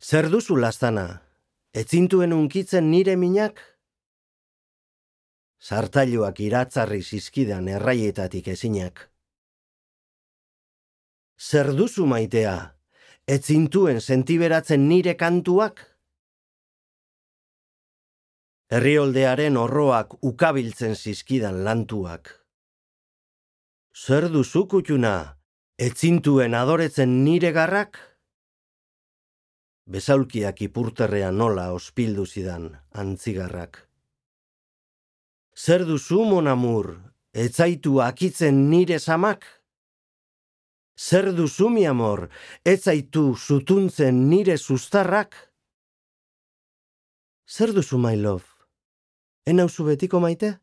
Zer duzu laztana? Etzintuen unkitzen nire minak? Sartailuak iratzarri zizkidan erraietatik ezinak. Zer duzu maitea? Etzintuen sentiberatzen nire kantuak? Herrioldearen orroak ukabiltzen zizkidan lantuak. Zer duzu kutxuna? Etzintuen adoretzen nire garrak? Besaulkiak ipurterrean nola ospildu zidan antzigarrak. Zer duzu mon amur? Etzaitu akitzen nire samak? Zer duzu mi amor? Etzaitu zutuntzen nire sustarrak? Zer duzu my love? Enauzu betiko maite?